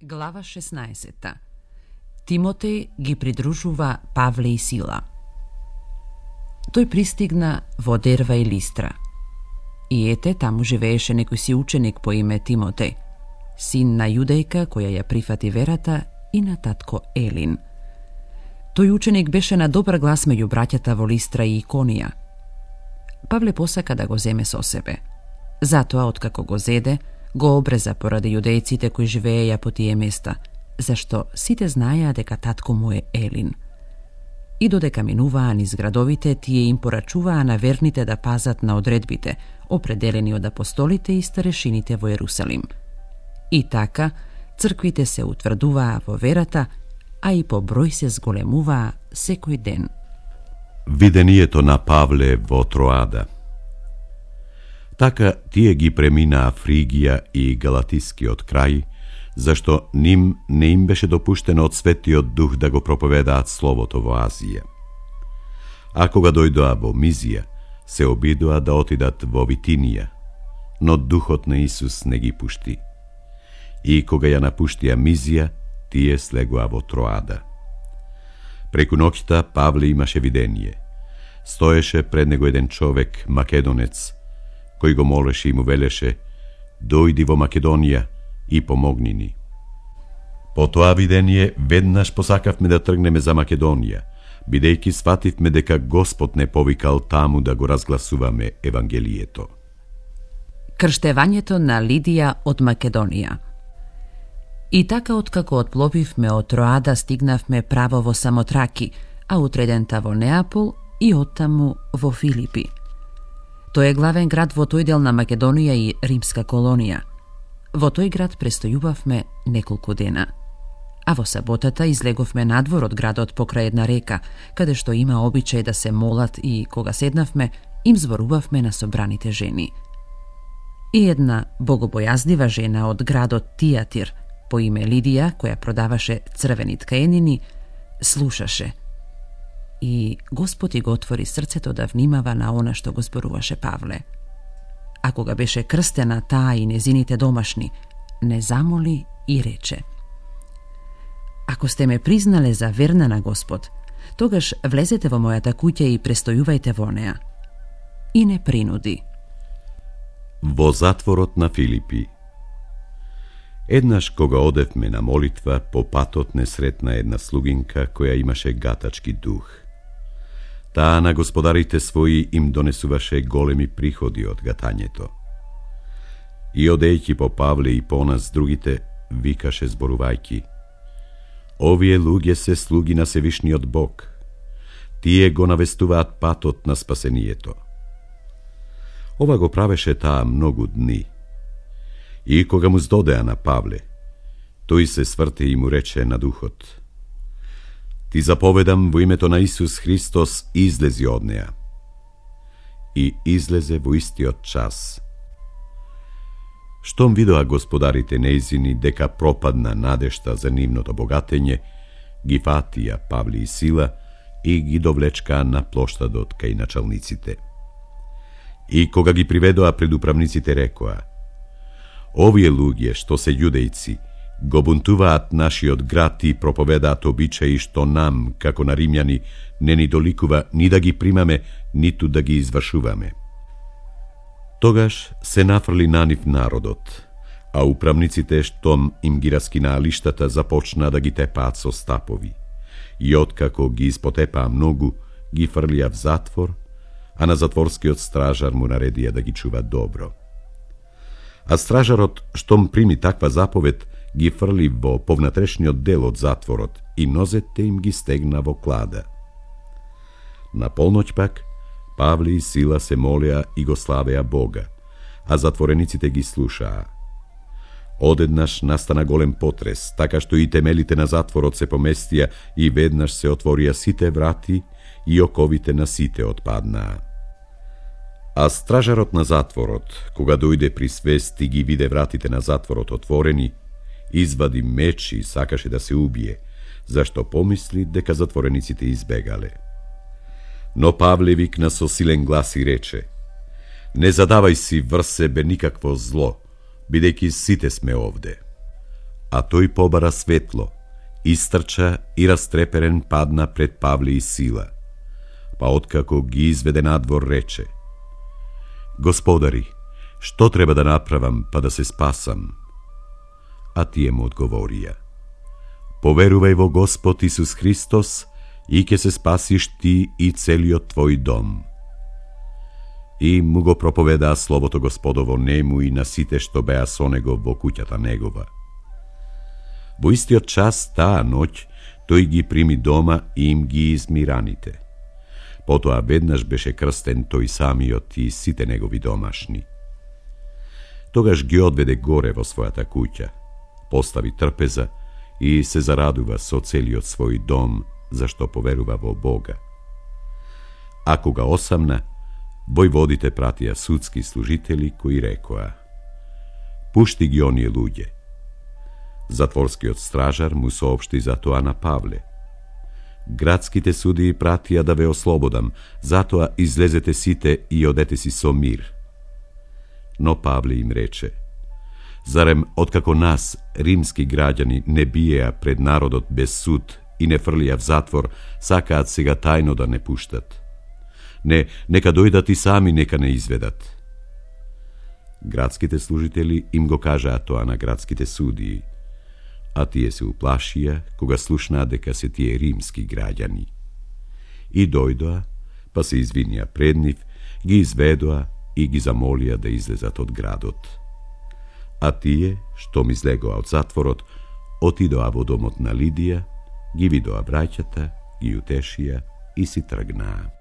Глава 16. Тимотеј ги придружува Павле и Сила. Тој пристигна во Дерва и Листра. И ете, таму живееше некој си ученик по име Тимотеј, син на јудејка која ја прифати верата и на татко Елин. Тој ученик беше на добар глас меѓу браќата во Листра и Иконија. Павле посака да го земе со себе. Затоа, откако го зеде, го обреза поради јудејците кои живееја по тие места, зашто сите знаеа дека татко му е Елин. И додека минуваа низ градовите, тие им порачуваа на верните да пазат на одредбите, определени од апостолите и старешините во Ерусалим. И така, црквите се утврдуваа во верата, а и по број се зголемуваа секој ден. Видението на Павле во Троада. Така тие ги преминаа Фригија и Галатискиот крај, зашто ним не им беше допуштено од Светиот Дух да го проповедаат Словото во Азија. А кога дојдоа во Мизија, се обидоа да отидат во Витинија, но Духот на Исус не ги пушти. И кога ја напуштија Мизија, тие слегоа во Троада. Преку ноќта Павле имаше видение. Стоеше пред него еден човек, македонец, кој го молеше и му велеше: дојди во Македонија и помогни ни. По тоа видение веднаш посакавме да тргнеме за Македонија, бидејќи свативме дека Господ не повикал таму да го разгласуваме Евангелието. Крштевањето на Лидија од Македонија. И така, откако отпловивме од Троада, стигнавме право во Самотраки, а утредента во Неапол и оттаму во Филипи. Тој е главен град во тој дел на Македонија и римска колонија. Во тој град престојувавме неколку дена. А во саботата излеговме надвор од градот покрај една река, каде што има обичај да се молат, и кога седнавме, им зборувавме на собраните жени. И една богобојазлива жена од градот Тијатир, по име Лидија, која продаваше црвени ткаенини, слушаше. И Господ и го отвори срцето да внимава на она што го зборуваше Павле. А кога беше крстена таа и незините домашни, не замоли и рече: ако сте ме признале за верна на Господ, тогаш влезете во мојата куќа и престојувајте во неа. И не принуди. Во затворот на Филипи. Еднаш кога одевме на молитва, по патот не сретна една слугинка која имаше гатачки дух. Таа на господарите своји им донесуваше големи приходи од гатањето. И одејќи по Павле и по нас другите, викаше зборувајќи: овие луѓе се слуги на Севишниот Бог. Тие го навестуваат патот на спасението. Ова го правеше таа многу дни. И кога му здодеа на Павле, тој се сврте и му рече на духот: ти заповедам во името на Исус Христос, излези од неа. И излезе во истиот час. Штом видоа господарите нејзини дека пропадна надежта за нивното богатење, ги фатија Павле и Сила и ги довлечкаа на плоштадот кај началниците. И кога ги приведоа пред управниците, рекоа: овие луѓе што се јудејци го бунтуваат нашиот град и проповедаат обичаи што нам, како на римјани, не ни доликува ни да ги примаме, ниту да ги извршуваме. Тогаш се нафрли на нив народот, а управниците, штом им ги раскинаа лиштата, започнаа да ги тепаат со стапови. И откако ги испотепаа многу, ги фрлија в затвор, а на затворскиот стражар му наредија да ги чува добро. А стражарот, штом прими таква заповед, ги фрли во повнатрешниот дел од затворот и нозете им ги стегна во клада. На полноќ пак, Павле и Сила се молеа и го славеа Бога, а затворениците ги слушаа. Одеднаш настана голем потрес, така што и темелите на затворот се поместија и веднаш се отворија сите врати и оковите на сите отпаднаа. А стражарот на затворот, кога дојде при свест и ги виде вратите на затворот отворени, извади меч и сакаше да се убие, зашто помисли дека затворениците избегале. Но Павле викна со силен глас и рече: не задавај си врз себе никакво зло, бидејќи сите сме овде. А тој побара светло, истрча и растреперен падна пред Павле и Сила, па откако ги изведе надвор рече: Господари, што треба да направам па да се спасам? А тие му одговорија: Поверувај во Господ Исус Христос и ќе се спасиш ти и целиот твој дом. И му го проповедаа словото Господово нему и на сите што беа со него во куќата негова. Во истиот час таа ноќ тој ги прими дома и им ги изми раните. Потоа веднаш беше крстен тој самиот и сите негови домашни. Тогаш ги одведе горе во својата куќа, постави трпеза и се зарадува со целиот свој дом, зашто поверува во Бога. А кога осамна, војводите пратија судски служители кои рекоа: Пушти ги оние луѓе. Затворскиот стражар му соопшти за тоа на Павле: Градските судии пратија да ве ослободам, затоа излезете сите и одете си со мир. Но Павле им рече: Зарем откако нас, римски граѓани, не биеа пред народот без суд и не фрлија в затвор, сакаат сега тајно да не пуштат? Не, нека дојдат и сами нека не изведат. Градските служители им го кажаа тоа на градските судии, а тие се уплашија кога слушнаа дека се тие римски граѓани. И дојдоа, па се извинија пред нив, ги изведоа и ги замолија да излезат од градот. А тие, што ми излегоа од затворот, отидоа во домот на Лидија, ги видоа браќата, ги утешија и си тргнаа.